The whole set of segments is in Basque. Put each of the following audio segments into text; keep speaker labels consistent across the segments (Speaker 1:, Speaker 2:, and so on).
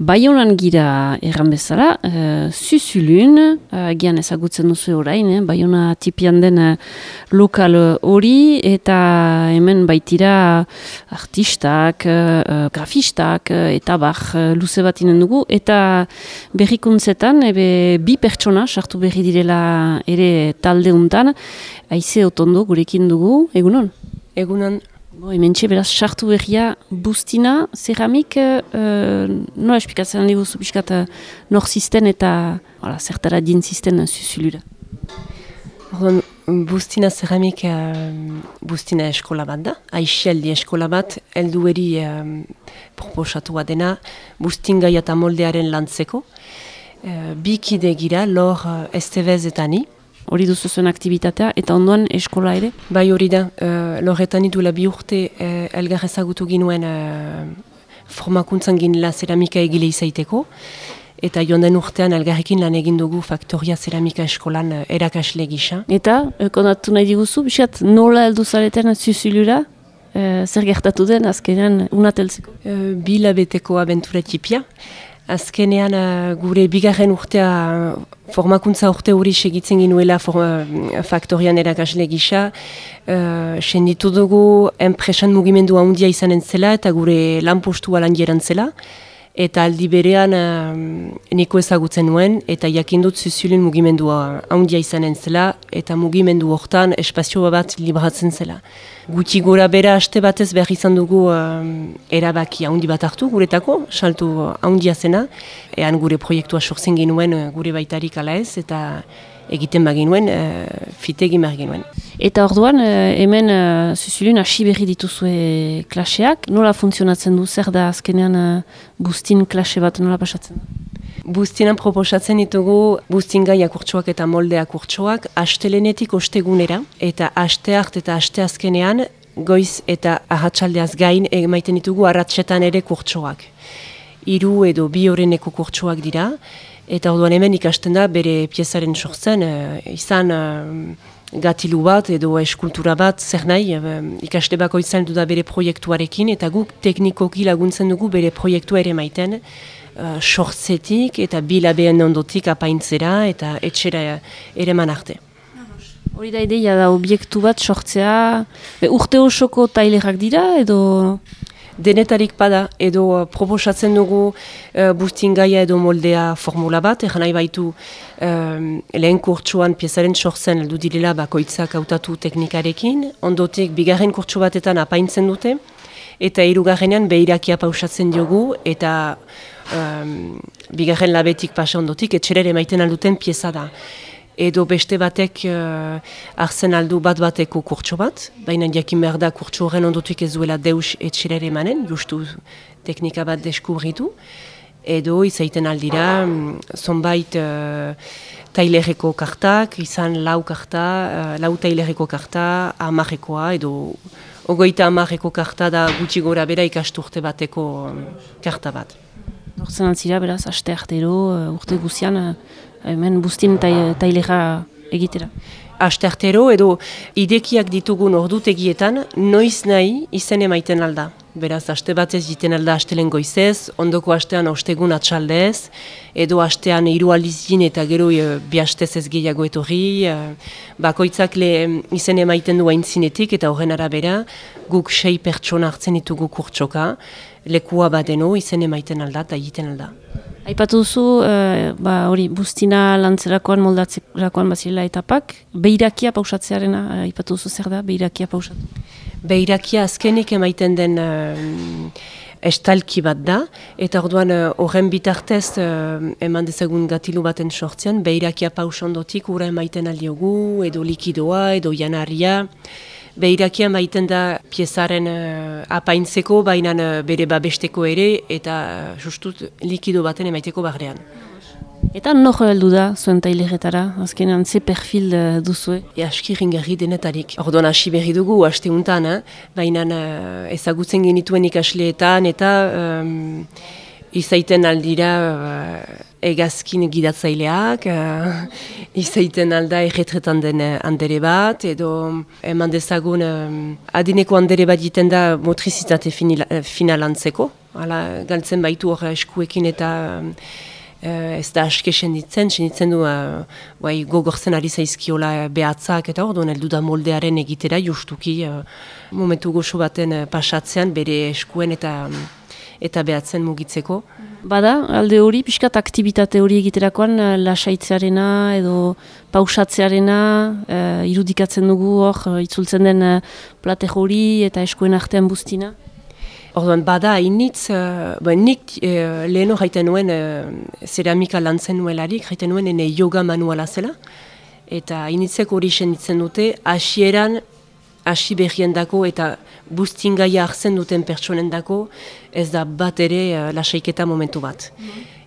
Speaker 1: Baionan gira erran bezala, Zuzulun, gian ezagutzen duzu orain, Baiona tipian den lokal hori, eta hemen baitira artistak, grafistak, eta luze bat inen dugu, eta berrikuntzetan, bi pertsona sartu berri direla ere talde untan, Aize Otondo gurekin dugu, egunon?
Speaker 2: Egunon.
Speaker 1: Hementxe beraz sartu berria Bustina, Ceramik, nola esplikatzen diguzu pixkat nor zisten eta zertara dintzisten Zuzulura?
Speaker 2: Bustina Ceramik Bustina eskola bat da, aixialdi eskola bat, heldueri proposatua dena Bustingaia eta moldearen lantzeko. Bi kide gira, Lor Estevez eta ni.
Speaker 1: Hori duzu zuen aktivitatea, eta ondoan eskola ere?
Speaker 2: Bai hori da, Lorretan idula 2 urte elgar ezagutu ginuen formakuntzan ginela zeramika egile izaiteko, eta joan den urtean elgarrekin lan egin dugu Faktoria Zeramika eskolan erakasle gisa.
Speaker 1: Eta, kontatu nahi diguzu, biskat nola heldu zareten Zuzulura? Zer gertatu den azkenean unateltzeko?
Speaker 2: 2 hilabeteko abentura tipia. Azkenean gure bigarren urtea formakuntza urte hori segitzen ginuela Faktorian erakasle gisa. Senditu dugu enpresan mugimendu handia izanen zela eta gure lanpostua lan zela. Eta aldi berean niko ezagutzen nuen eta jakindut Zuzulun mugimendua handia izanen zela eta mugimendu hortan espazio bat libratzen zela. Guti gora bera aste batez behar izan dugu erabaki handi bat hartu guretako, saltu handia zena. Ean gure proiektua sortzen genuen gure baitarik ala ez eta egiten baginuen, fitegi behar genuen.
Speaker 1: Eta orduan, hemen Zuzulun hasi berri dituzue klaseak, nola funtzionatzen du, zer da azkenean Bustin klase bat nola pasatzen da?
Speaker 2: Bustinan proposatzen ditugu Bustingaia kurtsoak eta moldea kurtsoak astelenetik ostegunera, eta asteart eta asteazkenean goiz eta ahatsaldeaz gain emaiten ditugu arratsetan ere kurtsoak. 3 edo 2 horreneko kurtsoak dira, eta orduan hemen ikasten da bere piezaren sortzen, izan gatilu bat edo eskultura bat, zer nahi, ikaste bako izan du da bere proiektuarekin, eta guk teknikoki laguntzen dugu bere proiektua ere maiten, sortzetik eta bilabeen ondotik apaintzera eta etxera ere manarte.
Speaker 1: Hori da ideia da obiektu bat sortzea, urte osoko tailerak dira edo...
Speaker 2: Denetarik bada edo proposatzen dugu Bustingaia edo moldea formula bat, nahi baitu lehen kurtsuan piezaren sortzen heldu direla bakoitzak hautatu teknikarekin, ondotik bigarren kurtsu batetan apaintzen dute, eta 3. behirakia pausatzen diogu, eta bigarren labetik pasa ondotik etxerere maiten alduten pieza da. Edo beste batek hartzen aldu bateko kurtso bat, baina jakin behar da kurtso horren ondotik ez duela deus etxerere emanen, justu teknika bat deskubritu. Edo izaiten aldira, zonbait tailerreko kartak, izan 4 karta, 4 tailerreko karta, 10ekoa, edo 30 karta da gutxi gora bera ikasturte bateko karta bat.
Speaker 1: Hortzen antzira, beraz, aste artero, urte guzian, hemen Bustin tailera egitera.
Speaker 2: Aste artero edo idekiak ditugun ordutegietan, noiz nahi izen emaiten alda. Beraz, aste batez jiten alda astelen goizez, ondoko astean ostegun atxaldez, edo astean 3 aldiz jin eta gero 2 astez ez gehiago etorri, bakoitzak izen emaiten du aintzinetik eta horren arabera, guk 6 pertsona hartzen ditugu kurtsoka, lekua badeno izen emaiten alda eta egiten alda.
Speaker 1: Aipatu duzu, hori Bustina lantzerakoan, moldatzerakoan bazirela etapak, behirakia pausatzearena, aipatu duzu zer da, behirakia pausatu?
Speaker 2: Behirakia azkenik emaiten den estalki bat da, eta orduan horren bitartez eman dezagun gatilu baten sortzean, behirakia pausondotik ura emaiten aldiogu, edo likidoa, edo janarria. Behirakia maiten da piezaren apaintzeko, baina bere babesteko ere, eta justut likido baten emaiteko barrean.
Speaker 1: Eta nor heldu da zuen taileretara, azkenean ze perfil duzue?
Speaker 2: Aski ringarri denetarik. Orduan hasi berri dugu, haste untan, baina ezagutzen genituen ikasleetan, eta izaiten aldira egazkin gidatzaileak, izaiten alda erretretan den handere bat, edo eman dezagun adineko handere bat jiten da motrizitate finalantzeko, Hala, galtzen baitu hor eskuekin eta ez da aske senditzen du gogortzen ari zaizkiola behatzak eta hor, heldu da moldearen egitera justuki momentu goxo baten pasatzean bere eskuen eta behatzen mugitzeko.
Speaker 1: Bada, alde hori, pixkat aktibitate hori egiterakoan lasaitzearena edo pausatzearena irudikatzen dugu hor, itzultzen den plate hori eta eskuen artean buztina?
Speaker 2: Orduan, bada, hainitz, nik leheno jaiten nuen zeramika lantzen nuelarik, jaiten nuen ene yoga manuala zela, eta hainitzek hori senditzen dute, hasi berrien dako eta buztingaia hartzen duten pertsonen dako, ez da bat ere lasaiketa momentu bat.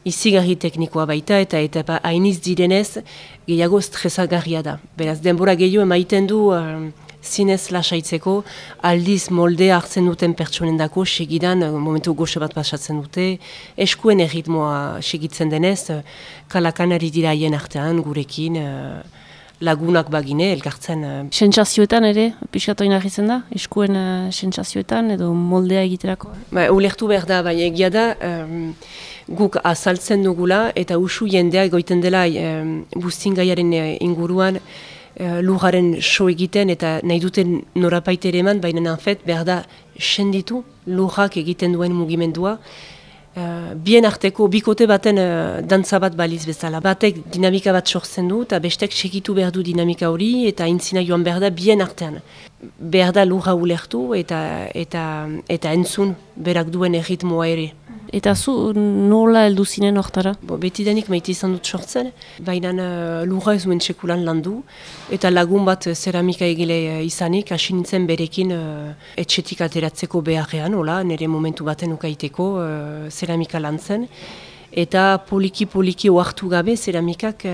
Speaker 2: Izigarri teknikoa baita eta hainiz direnez gehiago stresagarria da. Beraz, denbora gehiago emaiten du zinez lasaitzeko, aldiz moldea hartzen duten pertsonendako segidan momentu goxe bat pasatzen dute, eskuen erritmoa segitzen denez, kalakanari dira haien artean, gurekin, lagunak bagine, elkartzen.
Speaker 1: Sentsazioetan ere, pixkatoin argitzen da? Eskuen sentsazioetan edo moldea egiterako?
Speaker 2: Ulertu behar da, bai egia da, guk azaltzen dugula eta usu jendea egoiten dela buztingaiaren inguruan, lujaren so egiten eta nahi duten norapaitere eman, baina nanfet behar da senditu lujak egiten duen mugimendua. Bien arteko, bikote baten dantza bat baliz bezala. Batek dinamika bat sortzen du eta bestek segitu behar du dinamika hori eta aintzina joan behar da bien artean. Behar da luja ulertu eta entzun berak duen erritmoa ere.
Speaker 1: Eta zu nola heldu zinen hortara?
Speaker 2: Betidanik maite izan dut sortzen, baina lurra ez duen sekulan landu, eta lagun bat zeramika egile izanik, hasi nintzen berekin etxetik ateratzeko beharrean, nire momentu baten ukaiteko zeramika lantzen. Eta poliki oartu gabe zeramikak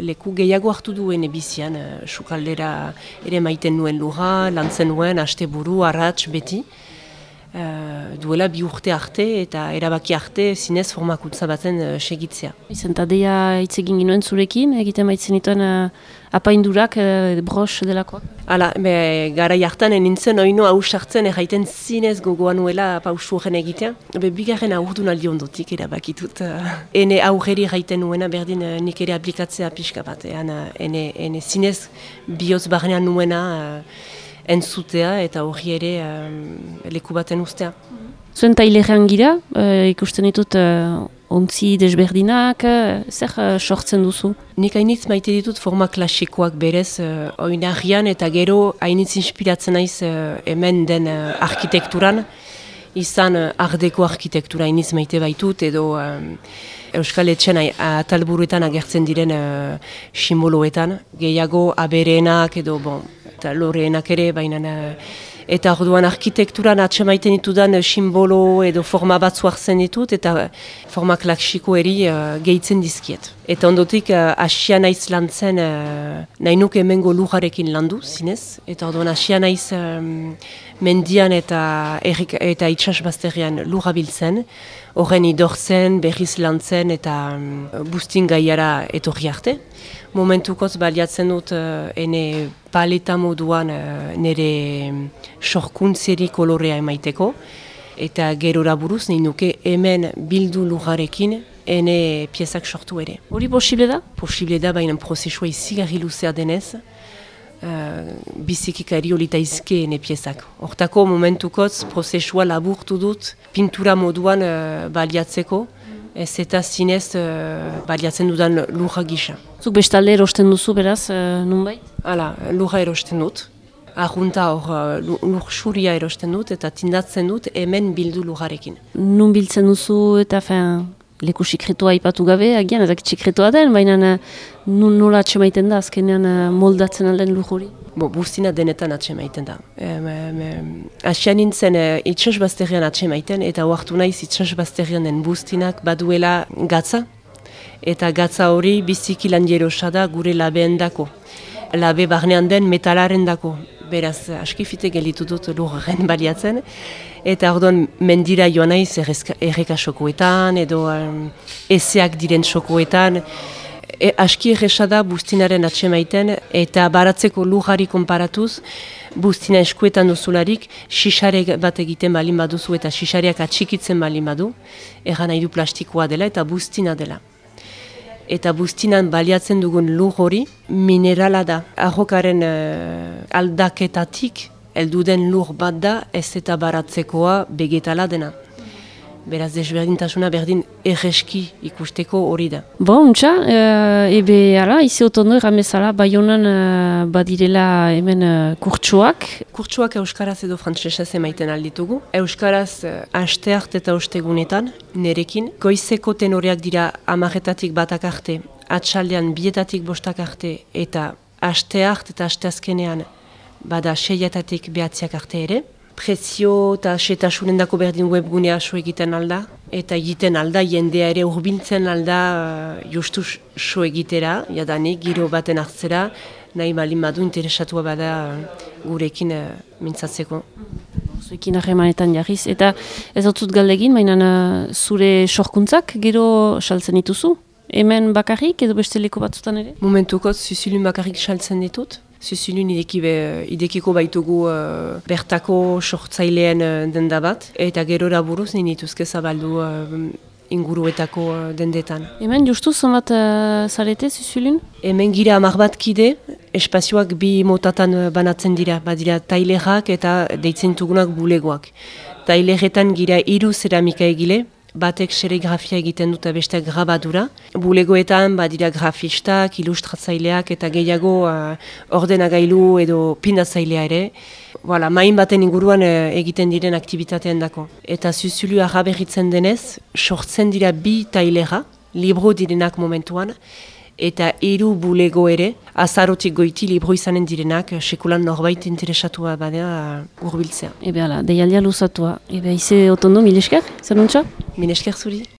Speaker 2: leku gehiago hartu duen bizian, sukaldera ere maiten nuen lurra, lantzen nuen, asteburu, arrats, beti. Duela 2 urte arte eta erabaki arte zinez formakuntza baten segitzea.
Speaker 1: Izentadeia hitz egin ginoen zurekin, egiten baitzen dituen apaindurak, bros delakoak?
Speaker 2: Hala, garai hartan nintzen oino hausartzen erraiten zinez gogoa nuela pausu horren egitea. Bigarren aurdun aldi ondotik erabakitut. Ene aurreri erraiten nuena berdin nik ere aplikatzea pixka bat. Ene zinez bihotz barnean nuena entzutea eta hori ere leku baten ustea.
Speaker 1: Zuen tailerean gira, ikusten ditut ontzi desberdinak, zer sortzen duzu?
Speaker 2: Nik hainitz maite ditut forma klasikoak berez oinarrian eta gero hainitz inspiratzen naiz hemen den arkitekturan, izan ardeko arkitektura hainitz maite baitut edo Euskal Etxen atalburuetan agertzen diren simboloetan, gehiago abereenak edo eta loreenak ere, baina eta orduan arkitekturan atsemaiten ditudan simbolo edo forma batzu hartzen ditut eta forma klasiko eri gehitzen dizkiet. Eta ondotik hasia naiz lantzen nahi nuke hemengo lujarekin landu zinez, eta orduan hasia naiz mendian eta itsasbazterrean lurra biltzen, horren idortzen, berriz lantzen eta buztingaiara etorri arte. Momentukoz baliatzen dut ene paleta moduan nire sorkuntzeri kolorea emaiteko eta gerora buruz nahi nuke hemen bildu lujarekin ene piezak sortu ere.
Speaker 1: Hori posible da?
Speaker 2: Posible da, baina prozesua izigarri luzea denez, bizikikari olita izke ene piezak. Hortako momentukoz prozesua laburtu dut pintura moduan baliatzeko, ez eta zinez baliatzen dudan lurra gisa.
Speaker 1: Zuk bestalde erosten duzu beraz, nunbait?
Speaker 2: Hala, lurra erosten dut. Arrunta hor lur xuria erosten dut eta tindatzen dut hemen bildu lurrarekin.
Speaker 1: Nun biltzen duzu eta leku sekretua aipatu gabe, agian ezak sekretua den, baina nola atxemaiten da azkenean moldatzen alden lur hori?
Speaker 2: Buztina denetan atxemaiten da. Asian nintzen itsasbazterrean atxemaiten eta oartu naiz itsasbazterrean den buztinak baduela gatza. Eta gatza hori biziki lan jerosa da gure labeen dako. Labe barnean den metalaren dako. Beraz, askifite gelitu dut lurren baliatzen. Eta orduan mendira joan naiz erreka sokoetan edo ezeak diren sokoetan. Aski erresa da buztinaren atsemaiten eta baratzeko lujari konparatuz, buztina eskuetan duzularik, xixare bat egiten balin baduzu eta xixareak atxikitzen balin badu, erran nahi du plastikoa dela eta buztina dela. Eta buztinan baliatzen dugun lur hori minerala da. Arrokaren aldaketatik helduden lur bat da, ez eta baratzekoa vegetala dena. Beraz, desberdintasuna berdin erreski ikusteko hori da.
Speaker 1: Untxa, ebe ala, izi otondo erramezala, Baionan badirela hemen kurtsuak.
Speaker 2: Kurtsuak euskaraz edo frantsesez emaiten alditugu. Euskaraz asteart eta ostegunetan, nerekin. Goizeko tenoreak dira 10-etatik batak arte, atxaldean 2-etatik 5 arte, eta asteart eta asteazkenean bada 6-etatik 9 arte ere. Prezio eta setasunen dako berdin webgunea so egiten alda, eta egiten alda, jendea ere urbiltzen alda justu so egitera, jadanik, giro baten hartzera, nahi balin badu interesatua bada gurekin mintzatzeko.
Speaker 1: Zuekin harremanetan jarriz, eta ez dut galdegin, baina zure sorkuntzak gero saltzen dituzu? Hemen bakarrik edo beste leku batzutan ere?
Speaker 2: Momentukot, Susulun bakarrik saltzen ditut. Susulun idekiko baitugu bertako sortzaileen denda bat, eta gerora buruz ninituzke zabaldu inguruetako dendetan.
Speaker 1: Hemen justu zonbat zarete Susulun?
Speaker 2: Hemen gira 10 bat kide, espazioak 2 motatan banatzen dira, badira tailerak eta deitzen dugunak bulegoak. Taileretan gira 3 zeramika egile, batek serigrafia egiten dut besteak grabadura. Bulegoetan badira grafistak, ilustratzaileak eta gehiago ordenagailu edo pindatzailea ere. Main baten inguruan egiten diren aktibitatean dako. Eta Susulu araberritzen denez, sortzen dira 2 tailera, libro direnak momentuan, eta 3 bulego ere, azarotik goiti libro izanen direnak, sekulan norbait interesatua badea urbiltzea.
Speaker 1: Ebe ala, deialdia luzatua. Ebe ize otondo, mil esker, zer nuntza?
Speaker 2: Mil esker zuri.